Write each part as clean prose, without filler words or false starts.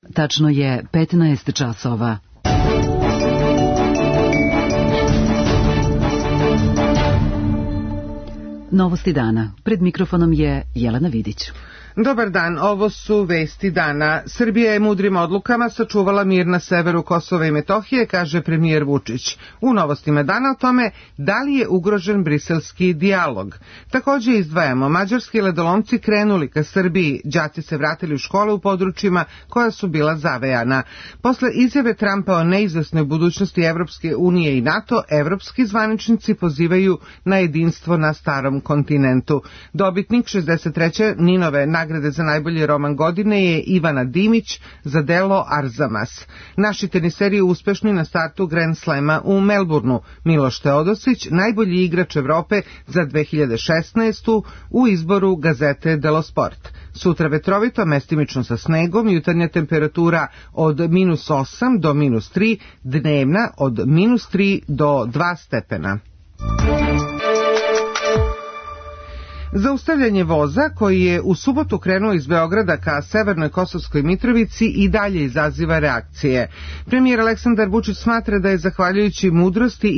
Tačno je 15 časova. Novosti dana. Pred mikrofonom je Jelena Vidić. Dobar dan, ovo su vesti dana. Srbija je mudrim odlukama sačuvala mir na severu Kosova i Metohije, kaže premijer Vučić. U novostima dana o tome da li je ugrožen briselski dijalog. Također izdvajamo, mađarski ledolomci krenuli ka Srbiji, đaci se vratili u škole u područjima koja su bila zavejana. Posle izjave Trumpa o neizvesnoj budućnosti Evropske unije i NATO, evropski zvaničnici pozivaju na jedinstvo na starom kontinentu. Dobitnik 63. Ninove nagrade za najbolji roman godine je Ivana Dimić za delo Arzamas. Naši teniseri uspešni na startu Grand Slema u Melbourneu. Miloš Teodosić, najbolji igrač Evrope za 2016. u izboru gazete Delo Sport. Sutra vetrovito, mestimično sa snegom, jutarnja temperatura od -8 do -3, dnevna od -3 do 2 stepena. Zaustavljanje voza koji je u subotu krenuo iz Beograda ka severnoj Kosovskoj Mitrovici i dalje izaziva reakcije. Premijer Aleksandar Vučić smatra da je zahvaljujući mudrosti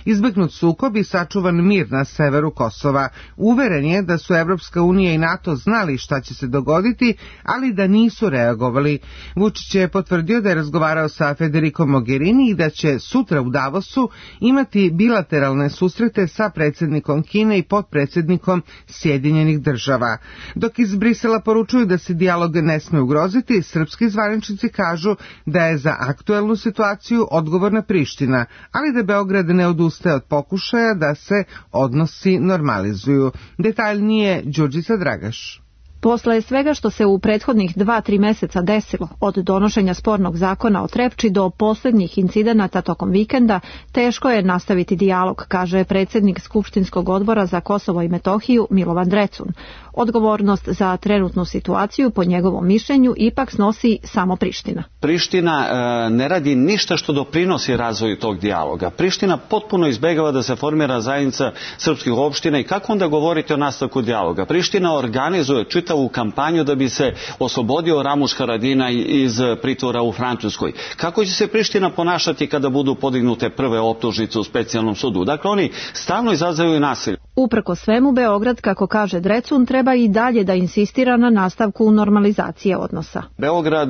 izbegnut sukob i sačuvan mir na severu Kosova. Uveren je da su Evropska unija i NATO znali šta će se dogoditi, ali da nisu reagovali. Vučić je potvrdio da je razgovarao sa Federico Mogherini i da će sutra u Davosu imati bilateralne susrete sa predsjednikom Kine i potpredsjednikom Sjedinjenih država. Dok iz Brisela poručuju da se dijalog ne sme ugroziti, srpski zvaničnici kažu da je za aktuelnu situaciju odgovorna Priština, ali da Beograd ne odustaje od pokušaja da se odnosi normalizuju. Detaljnije Đurđica Dragaš. Posle svega što se u prethodnih 2-3 meseca desilo, od donošenja spornog zakona o Trepči do posljednjih incidenata tokom vikenda, teško je nastaviti dijalog, kaže predsjednik Skupštinskog odbora za Kosovo i Metohiju Milovan Drecun. Odgovornost za trenutnu situaciju, po njegovom mišljenju, ipak snosi samo Priština. Priština ne radi ništa što doprinosi razvoju tog dijaloga. Priština potpuno izbegava da se formira zajednica srpskih opština i kako onda govoriti o nastavku dijaloga? Priština organizuje čitavu kampanju da bi se oslobodio Ramuš Haradinaj iz pritvora u Francuskoj. Kako će se Priština ponašati kada budu podignute prve optužnice u specijalnom sudu? Dakle, oni stalno izazivaju nasilje. Uprko svemu, Beograd, kako kaže Drecun, treba i dalje da insistira na nastavku normalizacije odnosa. Beograd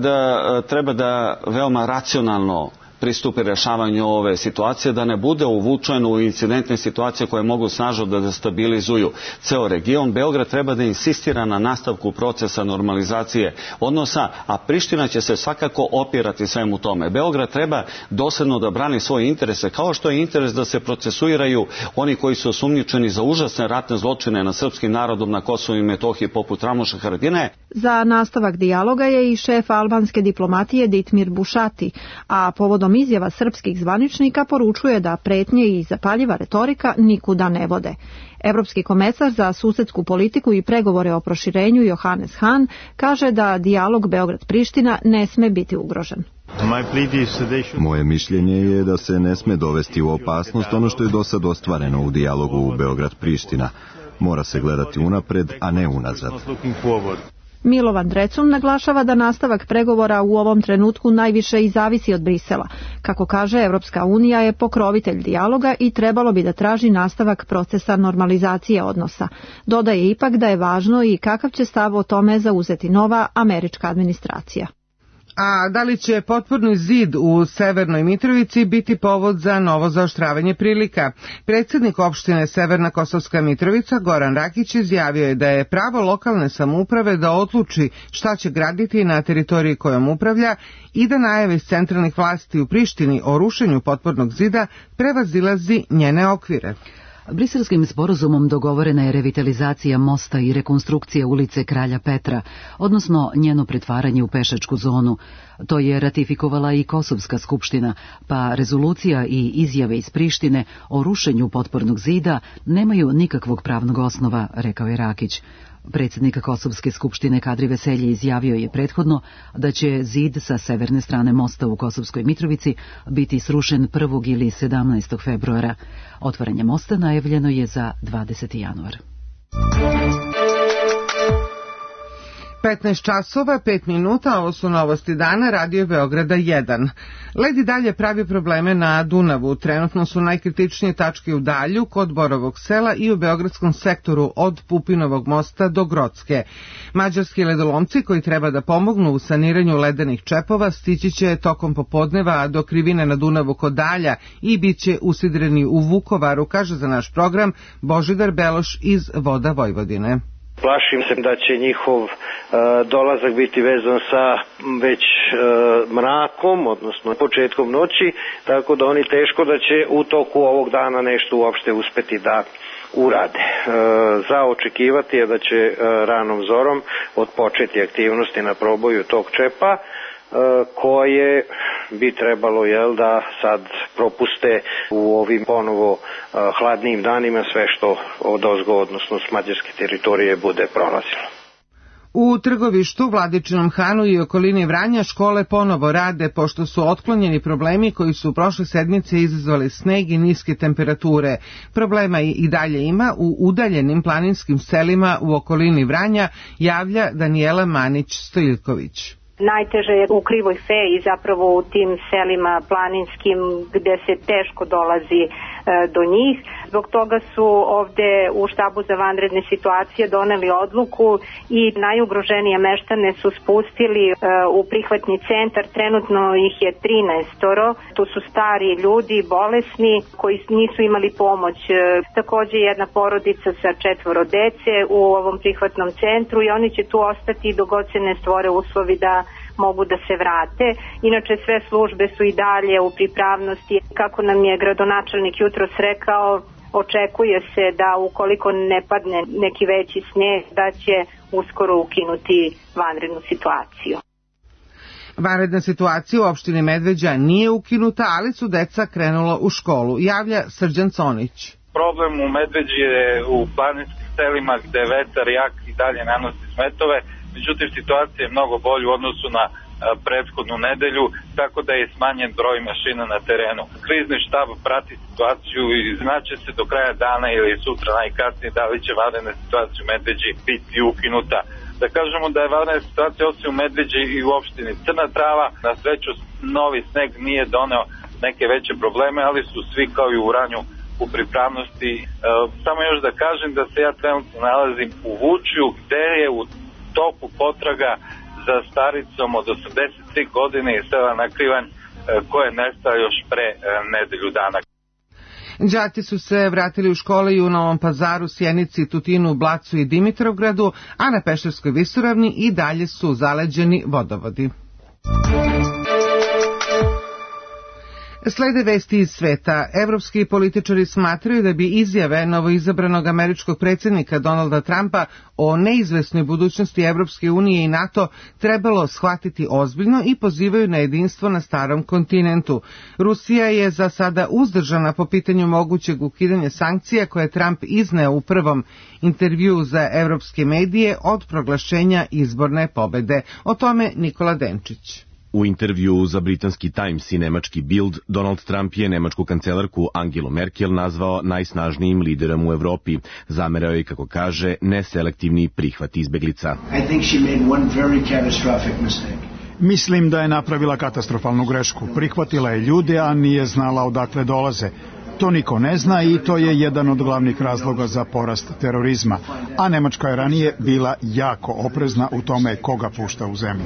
treba da veoma racionalno pristupi rješavanju ove situacije, da ne bude uvučen u incidentne situacije koje mogu snažno da destabilizuju ceo region. Beograd treba da insistira na nastavku procesa normalizacije odnosa, a Priština će se svakako opirati svemu tome. Beograd treba dosljedno da brani svoje interese, kao što je interes da se procesuiraju oni koji su osumnjičeni za užasne ratne zločine nad srpskim narodom na Kosovu i Metohiji poput Ramuša Haradinaja. Za nastavak dijaloga je i šef albanske diplomatije Ditmir Bušati, a povodom izjava srpskih zvaničnika poručuje da pretnje i zapaljiva retorika nikuda ne vode. Evropski komesar za susedsku politiku i pregovore o proširenju Johannes Hahn kaže da dijalog Beograd-Priština ne sme biti ugrožen. Moje mišljenje je da se ne sme dovesti u opasnost ono što je do sad ostvareno u dijalogu u Beograd-Priština. Mora se gledati unapred, a ne unazad. Milovan Drecun naglašava da nastavak pregovora u ovom trenutku najviše i zavisi od Brisela. Kako kaže, Evropska unija je pokrovitelj dijaloga i trebalo bi da traži nastavak procesa normalizacije odnosa. Dodaje ipak da je važno i kakav će stav o tome zauzeti nova američka administracija. A da li će potporni zid u Severnoj Mitrovici biti povod za novo zaoštravanje prilika? Predsjednik opštine Severna Kosovska Mitrovica Goran Rakić izjavio je da je pravo lokalne samouprave da odluči šta će graditi na teritoriji kojom upravlja i da najave iz centralnih vlasti u Prištini o rušenju potpornog zida prevazilazi njene okvire. Briselskim sporazumom dogovorena je revitalizacija mosta i rekonstrukcija ulice Kralja Petra, odnosno njeno pretvaranje u pešačku zonu. To je ratifikovala i Kosovska skupština, pa rezolucija i izjave iz Prištine o rušenju potpornog zida nemaju nikakvog pravnog osnova, rekao je Rakić. Predsjednik Kosovske skupštine Kadri Veselje izjavio je prethodno da će zid sa severne strane mosta u Kosovskoj Mitrovici biti srušen 1. ili 17. februara. Otvaranje mosta najavljeno je za 20. januar. 15 časova, 5 minuta, ovo su novosti dana, Radio Beograda 1. Led i dalje pravi probleme na Dunavu. Trenutno su najkritičnije tačke u Dalju, kod Borovog sela i u beogradskom sektoru od Pupinovog mosta do Grocke. Mađarski ledolomci koji treba da pomognu u saniranju ledenih čepova stići će tokom popodneva do krivine na Dunavu kod Dalja i bit će usidreni u Vukovaru, kaže za naš program Božidar Beloš iz Voda Vojvodine. Plašim se da će njihov dolazak biti vezan sa već mrakom, odnosno početkom noći, tako da oni teško da će u toku ovog dana nešto uopšte uspeti da urade. Za očekivati je da će ranom zorom odpočeti aktivnosti na proboju tog čepa, koje bi trebalo da sad propuste u ovim ponovo hladnijim danima sve što odozgo, odnosno s mađarske teritorije, bude prolazilo. U Trgovištu, Vladičinom Hanu i okolini Vranja škole ponovo rade pošto su otklonjeni problemi koji su prošle sedmice izazvali sneg i niske temperature. Problema i dalje ima u udaljenim planinskim selima u okolini Vranja, javlja Danijela Manić-Stojiljković. Najteže je u Krivoj Feji, zapravo u tim selima planinskim gde se teško dolazi do njih. Zbog toga su ovde u štabu za vanredne situacije doneli odluku i najugroženije meštane su spustili u prihvatni centar. Trenutno ih je 13. Tu su stari ljudi, bolesni, koji nisu imali pomoć. Takođe jedna porodica sa 4 dece u ovom prihvatnom centru i oni će tu ostati dok god se ne stvore uslovi da mogu da se vrate. Inače sve službe su i dalje u pripravnosti. Kako nam je gradonačelnik jutros rekao, očekuje se da ukoliko ne padne neki veći sneg, da će uskoro ukinuti vanrednu situaciju. Vanredna situacija u opštini Medveđa nije ukinuta, ali su deca krenula u školu, javlja Srđan Conić. Problem u Medveđi je u planinskim selima gde vetar jak i dalje nanosi smetove. Međutim, situacija je mnogo bolja u odnosu na prethodnu nedelju, tako da je smanjen broj mašina na terenu. Krizni štab prati situaciju i znaće se do kraja dana ili sutra najkasnije da li će vanredna situacija u Medveđi biti ukinuta. Da kažemo da je vanredna situacija osim u Medveđi i u opštini Crna Trava. Na sreću, novi sneg nije doneo neke veće probleme, ali su svi kao i u Vranju u pripravnosti. Samo još da kažem da se ja trenutno nalazim u Vučju, gde je u toku potraga za staricom od 83 godine iz sela Nakrivanj, koja je nestala još pre nedelju dana. Đaci su se vratili u škole i u Novom Pazaru, Sjenici, Tutinu, Blacu i Dimitrovgradu, a na Pešterskoj visoravni i dalje su zaleđeni vodovodi. Slede vesti iz sveta. Evropski političari smatraju da bi izjave novoizabranog američkog predsjednika Donalda Trumpa o neizvesnoj budućnosti Evropske unije i NATO trebalo shvatiti ozbiljno i pozivaju na jedinstvo na starom kontinentu. Rusija je za sada uzdržana po pitanju mogućeg ukidanja sankcija koje je Trump izneo u prvom intervjuu za evropske medije od proglašenja izborne pobede. O tome Nikola Denčić. U intervjuu za britanski Times i nemački Bild, Donald Trump je nemačku kancelarku Angelu Merkel nazvao najsnažnijim liderom u Evropi. Zamerao je, kako kaže, neselektivni prihvat izbeglica. Mislim da je napravila katastrofalnu grešku. Prihvatila je ljude, a nije znala odakle dolaze. To niko ne zna i to je jedan od glavnih razloga za porast terorizma. A Nemačka je ranije bila jako oprezna u tome koga pušta u zemlju.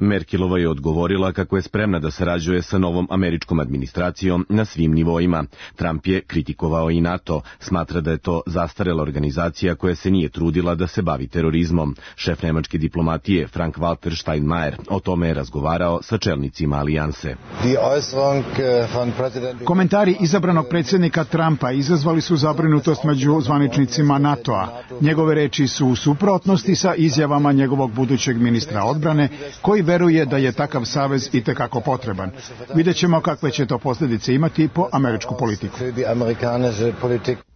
Merkelova je odgovorila kako je spremna da sarađuje sa novom američkom administracijom na svim nivoima. Trump je kritikovao i NATO, smatra da je to zastarela organizacija koja se nije trudila da se bavi terorizmom. Šef nemačke diplomatije Frank-Walter Steinmeier o tome je razgovarao sa čelnicima alijanse. Komentari izabranog predsjednika Trumpa izazvali su zabrinutost među zvaničnicima NATO-a. Njegove reči su u suprotnosti sa izjavama njegovog budućeg ministra odbrane, koji veruje da je takav savez itekako potreban. Vidjet ćemo kakve će to posljedice imati po američku politiku.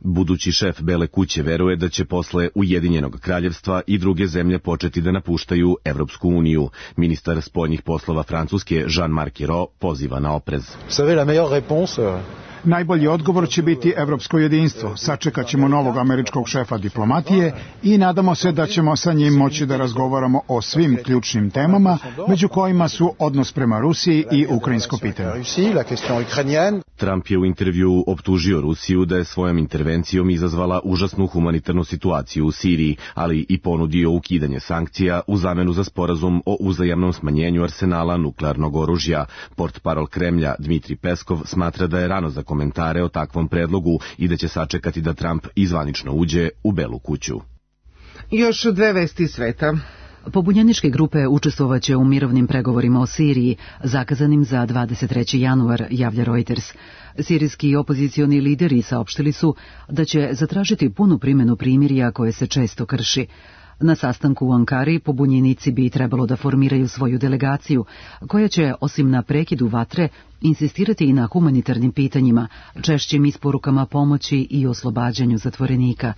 Budući šef Bele kuće veruje da će posle Ujedinjenog kraljevstva i druge zemlje početi da napuštaju Evropsku uniju. Ministar spoljnih poslova Francuske Jean-Marc Ayrault poziva na oprez. Najbolji odgovor će biti evropsko jedinstvo. Sačekat ćemo novog američkog šefa diplomatije i nadamo se da ćemo sa njim moći da razgovaramo o svim ključnim temama, među kojima su odnos prema Rusiji i ukrajinsko pitanje. Trump je u intervjuu optužio Rusiju da je svojom intervencijom izazvala užasnu humanitarnu situaciju u Siriji, ali i ponudio ukidanje sankcija u zamenu za sporazum o uzajamnom smanjenju arsenala nuklearnog oružja. Portparol Kremlja Dmitri Peskov smatra da je rano za komentare o takvom predlogu i da će sačekati da Trump izvanično uđe u Belu kuću. Još dve vesti sveta. Pobunjeničke grupe učestvovaće u mirovnim pregovorima o Siriji, zakazanim za 23. januar, javlja Reuters. Sirijski opozicioni lideri saopštili su da će zatražiti punu primjenu primirja koje se često krši. Na sastanku u Ankari pobunjenici bi trebalo da formiraju svoju delegaciju, koja će, osim na prekidu vatre, insistirati i na humanitarnim pitanjima, češćim isporukama pomoći i oslobađanju zatvorenika.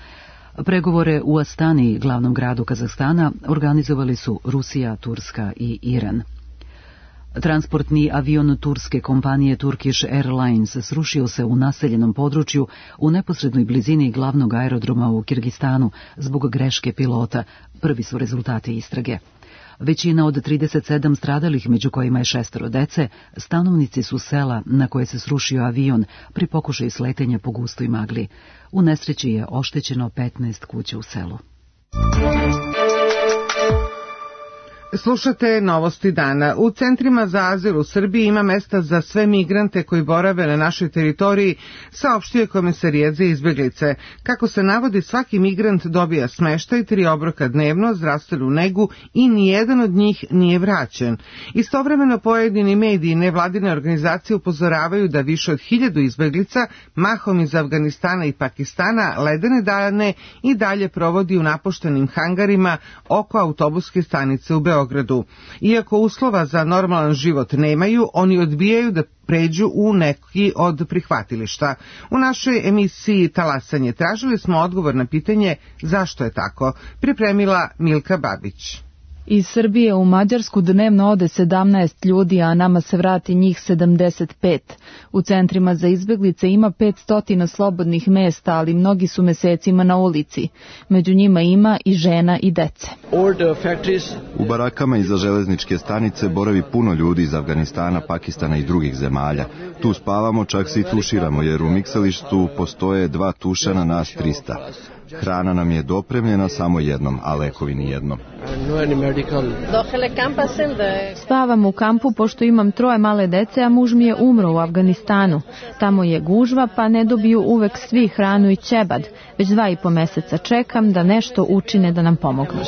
Pregovore u Astani, glavnom gradu Kazahstana, organizovali su Rusija, Turska i Iran. Transportni avion turske kompanije Turkish Airlines srušio se u naseljenom području u neposrednoj blizini glavnog aerodroma u Kirgistanu zbog greške pilota. Prvi su rezultati istrage. Većina od 37 stradalih, među kojima je 6 dece, stanovnici su sela na koje se srušio avion pri pokušaju sletenja po gustoj magli. U nesreći je oštećeno 15 kuća u selu. Slušate novosti dana. U centrima za azil u Srbiji ima mesta za sve migrante koji borave na našoj teritoriji, saopštio je Komesarijat za izbeglice. Kako se navodi, svaki migrant dobija smeštaj, 3 obroka dnevno, zdravstvenu negu i nijedan od njih nije vraćen. Istovremeno pojedini mediji i nevladine organizacije upozoravaju da više od 1000 izbeglica, mahom iz Afganistana i Pakistana, ledene dane i dalje provodi u napuštenim hangarima oko autobuske stanice u Beogradu. Iako uslova za normalan život nemaju, oni odbijaju da pređu u neki od prihvatilišta. U našoj emisiji Talasanje tražili smo odgovor na pitanje zašto je tako. Pripremila Milka Babić. Iz Srbije u Mađarsku dnevno ode 17 ljudi, a nama se vrati njih 75. U centrima za izbeglice ima 500 slobodnih mesta, ali mnogi su mesecima na ulici. Među njima ima i žena i dece. U barakama iza železničke stanice boravi puno ljudi iz Afganistana, Pakistana i drugih zemalja. Tu spavamo, čak se i tuširamo, jer u miksalištu postoje 2 tuša na nas 300. Hrana nam je dopremljena samo jednom, a lekovi ni jednom. Spavam u kampu pošto imam 3 male dece, a muž mi je umro u Afganistanu. Tamo je gužva, pa ne dobiju uvek svi hranu i ćebad. Već 2,5 meseca čekam da nešto učine da nam pomognu.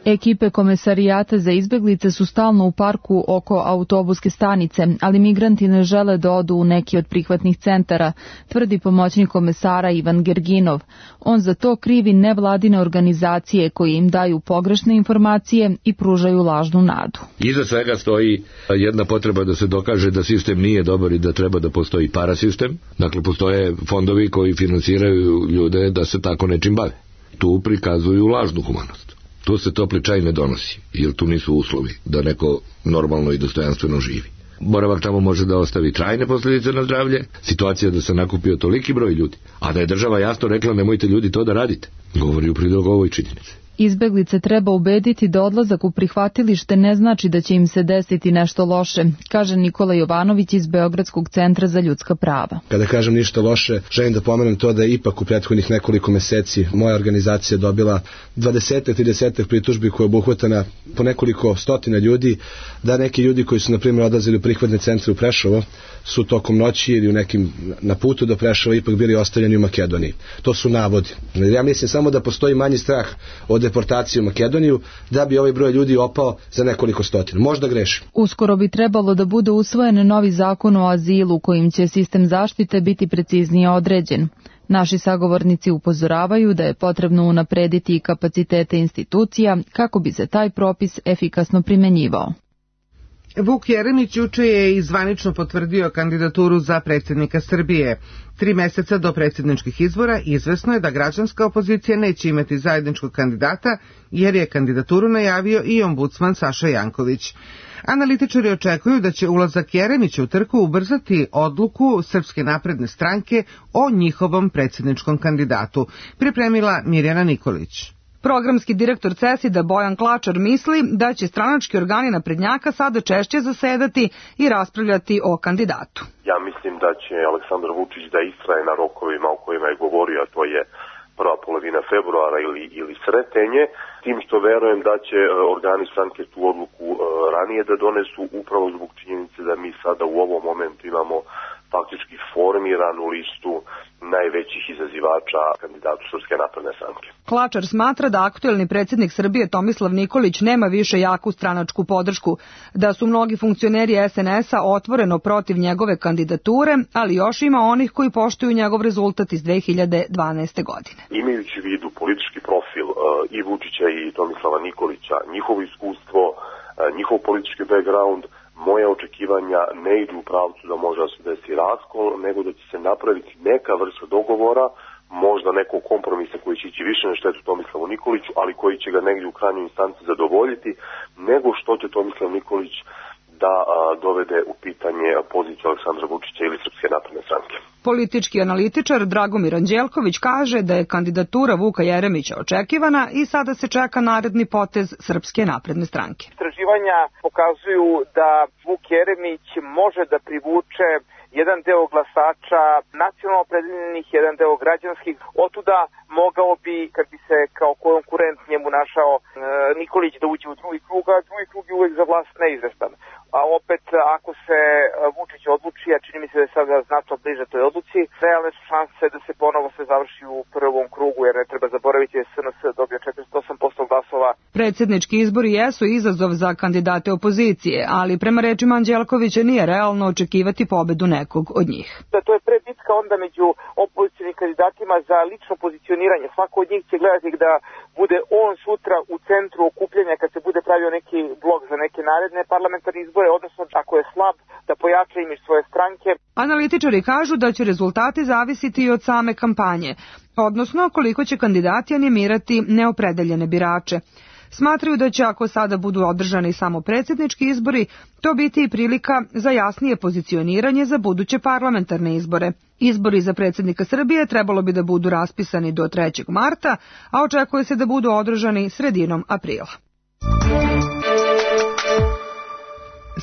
Ekipe Komesarijata za izbeglice su stalno u parku oko autobuske stanice, ali migranti ne žele da odu u neki od prihvatnih centara, tvrdi pomoćnik komesara Ivan Gerginov. On za to krivi nevladine organizacije koje im daju pogrešne informacije i pružaju lažnu nadu. Iza svega stoji jedna potreba da se dokaže da sistem nije dobar i da treba da postoji parasistem. Dakle, postoje fondovi koji finansiraju ljude da se tako nečim bave. Tu prikazuju lažnu humanost. Tu se topli čaj ne donosi, jer tu nisu uslovi da neko normalno i dostojanstveno živi. Boravak tamo može da ostavi trajne posljedice na zdravlje, situacija da se nakupio toliki broj ljudi, a da je država jasno rekla nemojte ljudi to da radite, govori u prilog ovoj činjenici. Izbeglice treba ubediti da odlazak u prihvatilište ne znači da će im se desiti nešto loše, kaže Nikola Jovanović iz Beogradskog centra za ljudska prava. Kada kažem ništa loše, želim da pomenem to da je ipak u prethodnih nekoliko meseci moja organizacija dobila 20-30 pritužbi koje je obuhvatana po nekoliko stotina ljudi, da neki ljudi koji su na primjer odlazili u prihvatne centre u Prešovo su tokom noći ili u nekim na putu do Prešova ipak bili ostavljeni u Makedoniji. To su navodi. Ja mislim samo da postoji manji strah od deportacije u Makedoniju da bi ovaj broj ljudi opao za nekoliko stotina. Možda grešim. Uskoro bi trebalo da bude usvojen novi zakon o azilu kojim će sistem zaštite biti preciznije određen. Naši sagovornici upozoravaju da je potrebno unaprediti i kapacitete institucija kako bi se taj propis efikasno primenjivao. Vuk Jeremić juče je i zvanično potvrdio kandidaturu za predsjednika Srbije. 3 meseca do predsjedničkih izbora izvesno je da građanska opozicija neće imati zajedničkog kandidata, jer je kandidaturu najavio i ombudsman Saša Janković. Analitičari očekuju da će ulazak Jeremića u trku ubrzati odluku Srpske napredne stranke o njihovom predsjedničkom kandidatu, pripremila Mirjana Nikolić. Programski direktor CESID-a Bojan Klačar misli da će stranački organi naprednjaka sada češće zasedati i raspravljati o kandidatu. Ja mislim da će Aleksandar Vučić da istraje na rokovima o kojima je govorio, a to je prva polovina februara ili sretenje, tim što verujem da će organi stranke tu odluku ranije da donesu, upravo zbog činjenice da mi sada u ovom momentu imamo faktički formiranu listu najvećih izazivača kandidatu Srpske napredne stranke. Klačar smatra da aktuelni predsjednik Srbije Tomislav Nikolić nema više jaku stranačku podršku, da su mnogi funkcioneri SNS-a otvoreno protiv njegove kandidature, ali još ima onih koji poštuju njegov rezultat iz 2012. godine. Imajući u vidu politički profil i Vučića i Tomislava Nikolića, njihovo iskustvo, njihov politički background, moje očekivanja ne idu u pravcu da može da se desi raskol, nego da će se napraviti neka vrsta dogovora, možda nekog kompromisa koji će ići više na štetu Tomislavu Nikoliću, ali koji će ga negdje u krajnjoj instanci zadovoljiti, nego što će Tomislav Nikolić da dovede u pitanje poziciju Aleksandra Vučića ili Srpske napredne stranke. Politički analitičar Dragomir Anđelković kaže da je kandidatura Vuka Jeremića očekivana i sada se čeka naredni potez Srpske napredne stranke. Istraživanja pokazuju da Vuk Jeremić može da privuče jedan deo glasača nacionalno opredeljenih, jedan deo građanskih. Otuda mogao bi, kad bi se kao konkurent njemu našao Nikolić, da uđe u drugi krug, a drugi krug je uvek za vlast neizvestan. A opet, ako se Vučić odluči, a čini mi se da je sada znatno bliže toj odluci, realne su šanse da se ponovo sve završi u prvom krugu, jer ne treba zaboraviti da je SNS dobio 48% glasova. Predsjednički izbori jesu izazov za kandidate opozicije, ali prema rečima Anđelkovića nije realno očekivati pobedu nekog od njih. To je prebitka onda među opozicionim kandidatima za lično pozicioniranje. Svako od njih će gledati da bude on sutra u centru okupljanja kad se bude pravio neki blok za neke naredne parlamentarne izbore, odnosno ako je slab da pojača imidž svoje stranke. Analitičari kažu da će rezultati zavisiti i od same kampanje, odnosno koliko će kandidati animirati neopredeljene birače. Smatraju da će, ako sada budu održani samo predsjednički izbori, to biti i prilika za jasnije pozicioniranje za buduće parlamentarne izbore. Izbori za predsjednika Srbije trebalo bi da budu raspisani do 3. marta, a očekuje se da budu održani sredinom aprila.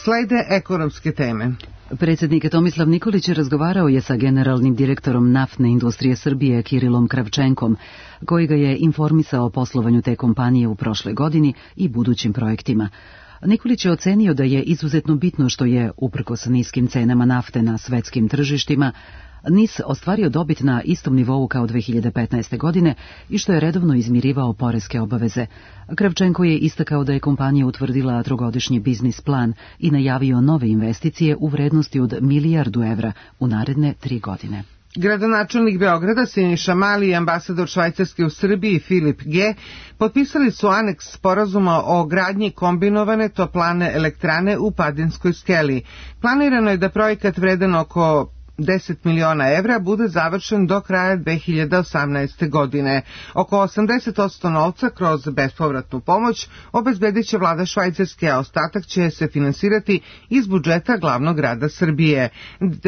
Slede ekonomske teme. Predsjednik Tomislav Nikolić razgovarao je sa generalnim direktorom naftne industrije Srbije Kirilom Kravčenkom, koji ga je informisao o poslovanju te kompanije u prošloj godini i budućim projektima. Nikolić je ocenio da je izuzetno bitno što je, uprkos niskim cenama nafte na svetskim tržištima, NIS ostvario dobit na istom nivou kao 2015. godine i što je redovno izmirivao poreske obaveze. Kravčenko je istakao da je kompanija utvrdila trogodišnji biznis plan i najavio nove investicije u vrednosti od $1 milijardu u naredne 3 godine. Gradonačelnik Beograda Siniša Mali i ambasador Švajcarske u Srbiji Filip G. potpisali su aneks sporazuma o gradnji kombinovane toplane elektrane u Padinskoj skeli. Planirano je da projekat vredan oko $10 miliona bude završen do kraja 2018. godine. Oko 80% novca kroz bespovratnu pomoć obezbedit će vlada Švajcarske, a ostatak će se finansirati iz budžeta glavnog grada Srbije.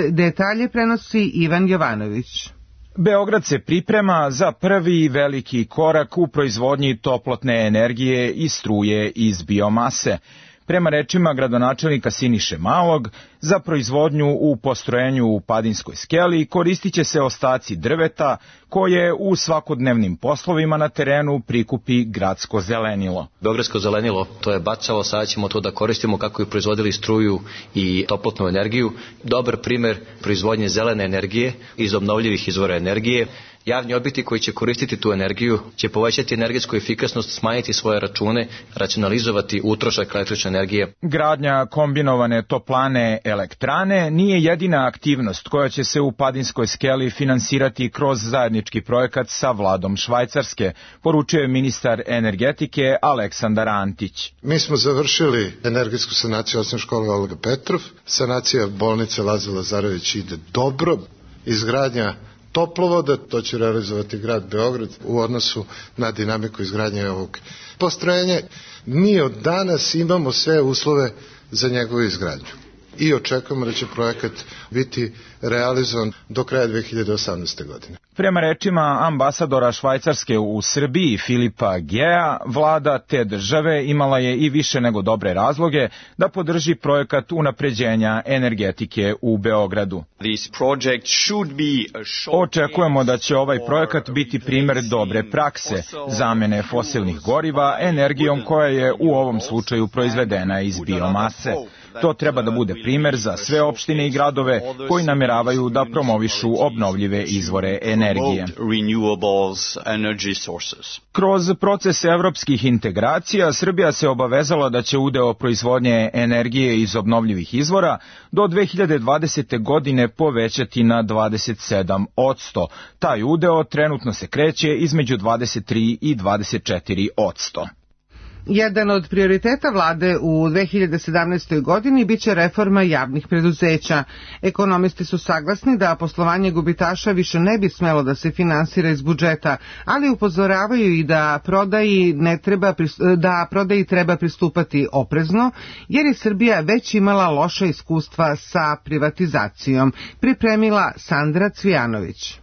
Detalje prenosi Ivan Jovanović. Beograd se priprema za prvi veliki korak u proizvodnji toplotne energije i struje iz biomase. Prema rečima gradonačelnika Siniše Malog, za proizvodnju u postrojenju u Padinskoj skeli koristit će se ostaci drveta koje u svakodnevnim poslovima na terenu prikupi gradsko zelenilo. Beogradsko zelenilo, to je bacalo, sada ćemo to da koristimo kako bi proizvodili struju i toplotnu energiju. Dobar primer proizvodnje zelene energije iz obnovljivih izvora energije. Javni objekti koji će koristiti tu energiju će povećati energetsku efikasnost, smanjiti svoje račune, racionalizovati utrošak električne energije. Gradnja kombinovane toplane elektrane nije jedina aktivnost koja će se u Padinskoj skeli finansirati kroz zajednički projekat sa vladom Švajcarske, poručuje ministar energetike Aleksandar Antić. Mi smo završili energetsku sanaciju osnovne škole Olga Petrov, sanacija bolnice Laza Lazarević ide dobro, izgradnja toplovoda, to će realizovati grad Beograd u odnosu na dinamiku izgradnje ovog postrojenja. Mi od danas imamo sve uslove za njegovu izgradnju i očekujemo da će projekat biti realizovan do kraja 2018. godine. Prema rečima ambasadora Švajcarske u Srbiji Filipa Gea, vlada te države imala je i više nego dobre razloge da podrži projekat unapređenja energetike u Beogradu. Očekujemo da će ovaj projekat biti primer dobre prakse, zamene fosilnih goriva energijom koja je u ovom slučaju proizvedena iz biomase. To treba da bude primer za sve opštine i gradove koji nameravaju da promovišu obnovljive izvore energije. Kroz proces evropskih integracija Srbija se obavezala da će udeo proizvodnje energije iz obnovljivih izvora do 2020. godine povećati na 27%. Taj udeo trenutno se kreće između 23 i 24%. Jedan od prioriteta vlade u 2017. godini biće reforma javnih preduzeća. Ekonomisti su saglasni da poslovanje gubitaša više ne bi smelo da se finansira iz budžeta, ali upozoravaju i da prodaji treba pristupati oprezno, jer je Srbija već imala loša iskustva sa privatizacijom. Pripremila Sandra Cvijanović.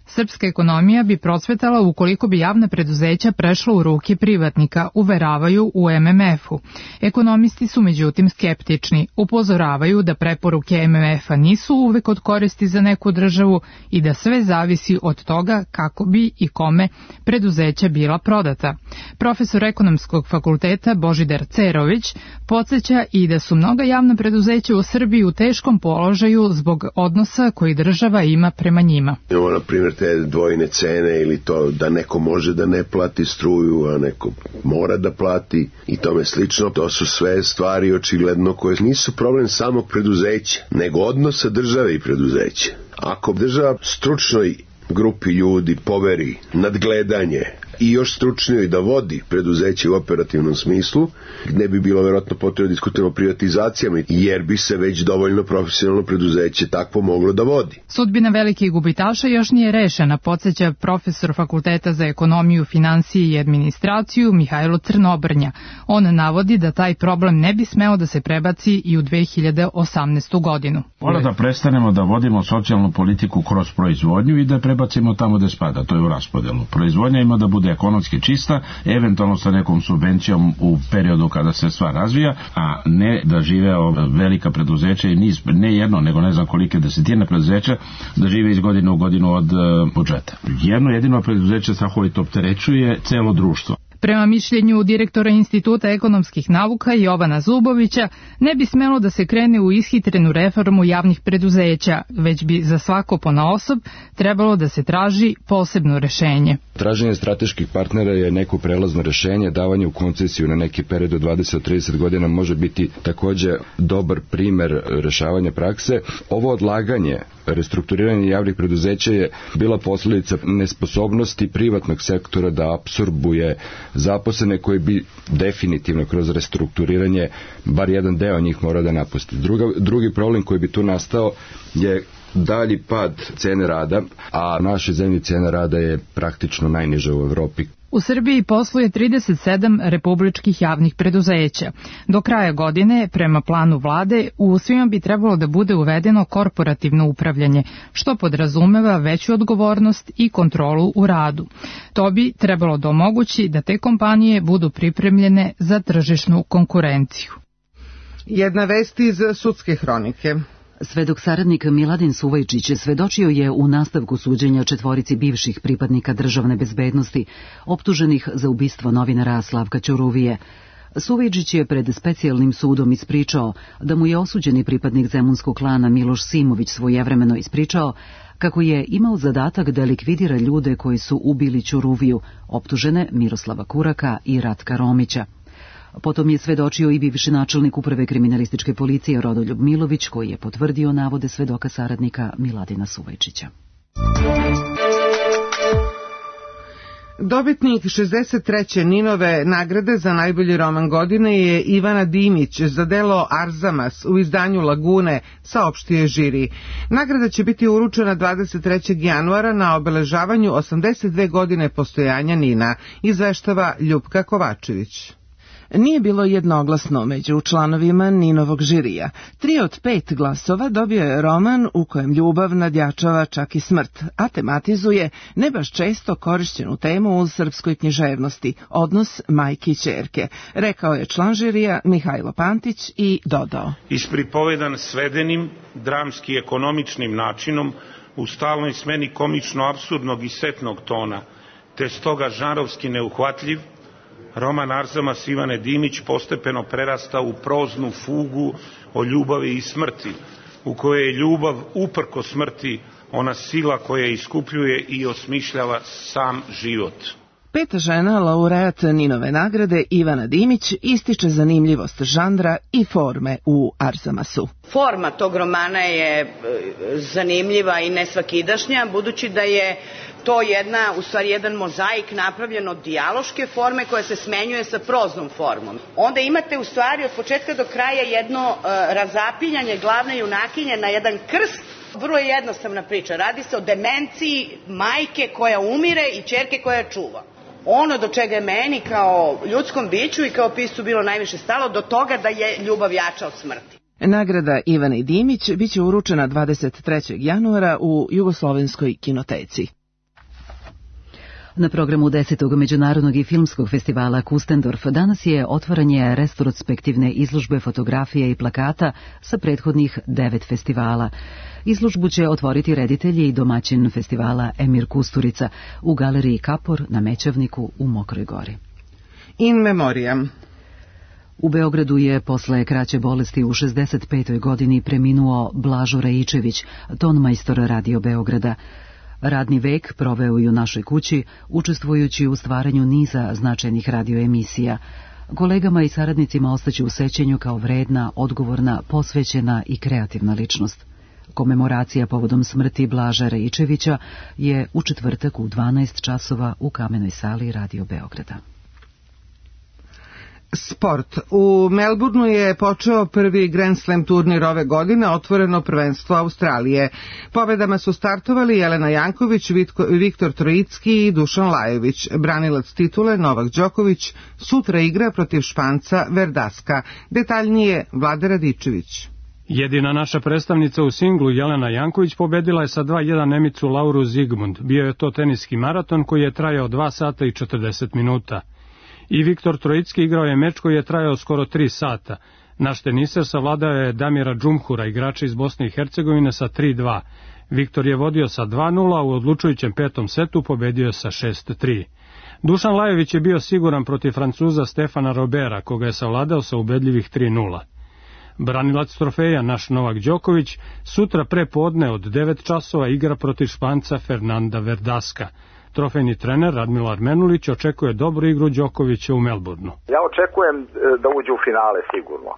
Srpska ekonomija bi procvetala ukoliko bi javna preduzeća prešla u ruke privatnika, uveravaju u MMF-u. Ekonomisti su međutim skeptični, upozoravaju da preporuke MMF-a nisu uvek od koristi za neku državu i da sve zavisi od toga kako bi i kome preduzeća bila prodata. Profesor ekonomskog fakulteta Božidar Cerović podsjeća i da su mnoga javna preduzeća u Srbiji u teškom položaju zbog odnosa koji država ima prema njima. Na primjer, te dvojne cene ili to da neko može da ne plati struju, a neko mora da plati i tome slično. To su sve stvari očigledno koje nisu problem samog preduzeća, nego odnosa države i preduzeća. Ako država stručnoj grupi ljudi poveri nadgledanje i još stručnijoj da vodi preduzeće u operativnom smislu, ne bi bilo verovatno potrebno diskutirati o privatizacijama, jer bi se već dovoljno profesionalno preduzeće takvo moglo da vodi. Sudbina velikih gubitaša još nije rešena, podsjeća profesor Fakulteta za ekonomiju, finansije i administraciju Mihajlo Crnobrnja. On navodi da taj problem ne bi smeo da se prebaci i u 2018. godinu. Mora da prestanemo da vodimo socijalnu politiku kroz proizvodnju i da prebacimo tamo gde spada, to je u raspodelu. Proizvodnja ima da bude ekonomski čista, eventualno sa nekom subvencijom u periodu kada se stvar razvija, a ne da žive velika preduzeća i niz, ne jedno, nego ne znam kolike desetine preduzeća, da žive iz godine u godinu od budžeta. Jedno jedino preduzeće strahovito opterećuje celo društvo. Prema mišljenju direktora Instituta ekonomskih nauka Jovana Zubovića, ne bi smelo da se krene u ishitrenu reformu javnih preduzeća, već bi za svako ponaosob trebalo da se traži posebno rešenje. Traženje strateških partnera je neko prelazno rešenje, davanje u koncesiju na neki period od 20-30 godina može biti takođe dobar primer rešavanja prakse. Ovo odlaganje restrukturiranje javnih preduzeća je bila posledica nesposobnosti privatnog sektora da apsorbuje zaposlene koji bi definitivno kroz restrukturiranje bar jedan deo njih mora da napusti. Drugi problem koji bi tu nastao je dalji pad cene rada, a naše zemlje cena rada je praktično najniža u Evropi. U Srbiji posluje 37 republičkih javnih preduzeća. Do kraja godine, prema planu vlade, u svima bi trebalo da bude uvedeno korporativno upravljanje, što podrazumeva veću odgovornost i kontrolu u radu. To bi trebalo da omogući da te kompanije budu pripremljene za tržišnu konkurenciju. Jedna vest iz sudske hronike. Svedok saradnik Miladin Suvajčić svedočio je u nastavku suđenja 4 bivših pripadnika državne bezbednosti, optuženih za ubistvo novinara Slavka Ćuruvije. Suvajčić je pred specijalnim sudom ispričao da mu je osuđeni pripadnik zemunskog klana Miloš Simović svojevremeno ispričao kako je imao zadatak da likvidira ljude koji su ubili Ćuruviju, optužene Miroslava Kuraka i Ratka Romića. Potom je svedočio i bivši načelnik uprave kriminalističke policije Rodoljub Milović, koji je potvrdio navode svedoka saradnika Miladina Suvajčića. Dobitnik 63. Ninove nagrade za najbolji roman godine je Ivana Dimić za delo Arzamas u izdanju Lagune, saopštio žiri. Nagrada će biti uručena 23. januara na obeležavanju 82 godine postojanja Nina, izveštava Ljupka Kovačević. Nije bilo jednoglasno među članovima Ninovog žirija. 3 od 5 glasova dobio je roman u kojem ljubav nadjačava čak i smrt, a tematizuje ne baš često korišćenu temu u srpskoj književnosti, odnos majke i ćerke, rekao je član žirija Mihajlo Pantić i dodao. Ispripovedan svedenim, dramski ekonomičnim načinom, u stalnoj smeni komično-apsurdnog i setnog tona, te stoga žanrovski neuhvatljiv, roman Arzamas Ivane Dimić postepeno prerasta u proznu fugu o ljubavi i smrti, u kojoj je ljubav uprko smrti ona sila koja iskupljuje i osmišljava sam život. 5. žena, laureat Ninove nagrade, Ivana Dimić, ističe zanimljivost žanra i forme u Arzamasu. Forma tog romana je zanimljiva i nesvakidašnja, budući da je to jedan mozaik napravljen od dijaloške forme koja se smenjuje sa proznom formom. Onda imate u stvari od početka do kraja jedno razapiljanje glavne junakinje na jedan krst. Vrlo je jednostavna priča. Radi se o demenciji majke koja umire i ćerke koja čuva. Ono do čega je meni kao ljudskom biću i kao piscu bilo najviše stalo, do toga da je ljubav jača od smrti. Nagrada Ivane Dimić biće uručena 23. januara u Jugoslovenskoj kinoteci. Na programu 10. međunarodnog i filmskog festivala Kustendorf danas je otvaranje retrospektivne izložbe fotografija i plakata sa prethodnih 9 festivala. Izložbu će otvoriti reditelj i domaćin festivala Emir Kusturica u galeriji Kapor na Mećavniku u Mokroj Gori. In memoriam. U Beogradu je posle kraće bolesti u 65. godini preminuo Blažo Rajičević, tonmajstor Radio Beograda. Radni vek proveo i u našoj kući, učestvujući u stvaranju niza značajnih radioemisija. Kolegama i saradnicima ostaće u sećanju kao vredna, odgovorna, posvećena i kreativna ličnost. Komemoracija povodom smrti Blaža Rajičevića je u četvrtak u 12 časova u Kamenoj sali Radio Beograda. Sport. U Melbourneu je počeo prvi Grand Slam turnir ove godine, otvoreno prvenstvo Australije. Pobedama su startovali Jelena Janković, Viktor Trojicki i Dušan Lajović. Branilac titule Novak Đoković sutra igra protiv Španca Verdaska. Detaljnije Vlada Radičević. Jedina naša predstavnica u singlu Jelena Janković pobedila je sa 2:1 Nemicu Lauru Zigmund. Bio je to teniski maraton koji je trajao 2 sata i 40 minuta. I Viktor Trojicki igrao je meč koji je trajao skoro 3 sata. Naš teniser savladao je Damira Džumhura, igrača iz Bosne i Hercegovine, sa 3:2. Viktor je vodio sa 2:0, a u odlučujućem 5. setu pobedio je sa 6:3. Dušan Lajović je bio siguran protiv Francuza Stefana Robera, koga je savladao sa ubedljivih 3:0. Branilac trofeja, naš Novak Đoković, sutra pre podne od 9 časova igra protiv Španca Fernanda Verdaska. Trofejni trener Radmilar Menulić očekuje dobru igru Đokovića u Melbourneu. Ja očekujem da uđe u finale sigurno.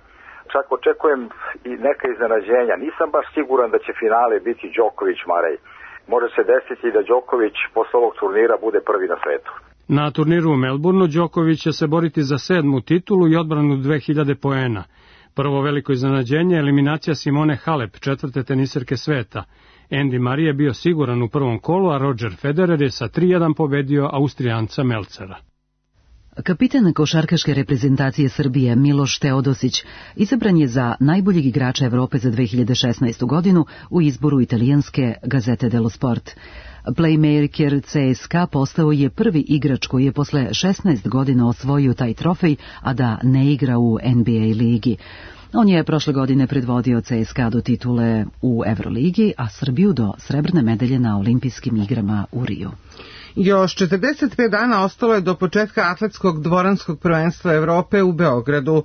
Čak očekujem i neka iznenađenja. Nisam baš siguran da će finale biti Đoković-Marej. Može se desiti da Đoković posle ovog turnira bude prvi na svetu. Na turniru u Melbourneu Đoković će se boriti za 7. titulu i odbranu 2000 poena. Prvo veliko iznenađenje je eliminacija Simone Halep, 4. teniserke sveta. Andy Murray je bio siguran u prvom kolu, a Roger Federer je sa 3:1 pobedio Austrijanca Melcera. Kapitan košarkaške reprezentacije Srbije Miloš Teodosić izabran je za najboljeg igrača Evrope za 2016. godinu u izboru italijanske Gazete dello Sport. Playmaker CSKA postao je prvi igrač koji je posle 16 godina osvojio taj trofej, a da ne igra u NBA ligi. On je prošle godine predvodio CSKA do titule u Euroligi, a Srbiju do srebrne medalje na olimpijskim igrama u Riju. Još 45 dana ostalo je do početka atletskog dvoranskog prvenstva Evrope u Beogradu.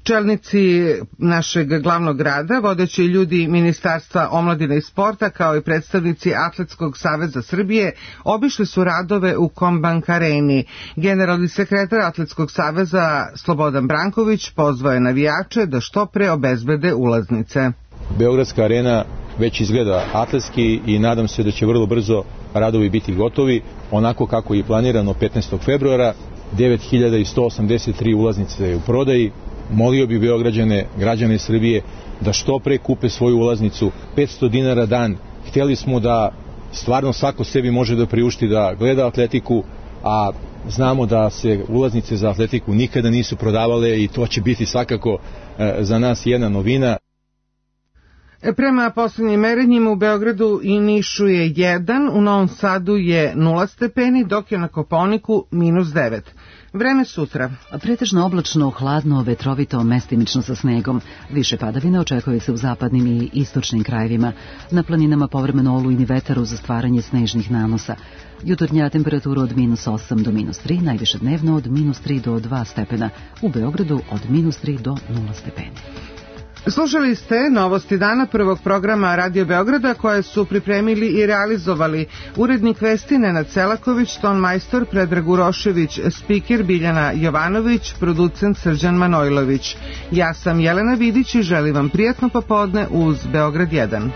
Čelnici našeg glavnog grada, vodeći ljudi Ministarstva omladine i sporta, kao i predstavnici Atletskog saveza Srbije, obišli su radove u Kombank areni. Generalni sekretar Atletskog saveza Slobodan Branković pozvao je navijače da što pre obezbede ulaznice. Beogradska arena već izgleda atletski i nadam se da će vrlo brzo radovi biti gotovi, onako kako je planirano 15. februara. 9183 ulaznice je u prodaji. Molio bi Beograđane, građane Srbije, da što pre kupe svoju ulaznicu. 500 dinara dan. Hteli smo da stvarno svako sebi može da priušti da gleda atletiku, a znamo da se ulaznice za atletiku nikada nisu prodavale i to će biti svakako za nas jedna novina. Prema posljednjim merenjima u Beogradu i Nišu je 1, u Novom Sadu je 0 stepeni, dok je na Kopaoniku -9. Vreme sutra. Pretežno oblačno, hladno, vetrovito, mestimično sa snegom. Više padavina očekuje se u zapadnim i istočnim krajevima. Na planinama povremeno olujni vetar uz stvaranje snežnih nanosa. Jutarnja temperatura od -8 do -3, najviše dnevno od -3 do 2 stepena. U Beogradu od -3 do 0 stepeni. Slušali ste novosti dana prvog programa Radio Beograda koje su pripremili i realizovali urednik vesti Nenad Selaković, tonmajstor Predrag Urošević, spiker Biljana Jovanović, producent Srđan Manojlović. Ja sam Jelena Vidić i želim vam prijatno popodne uz Beograd 1.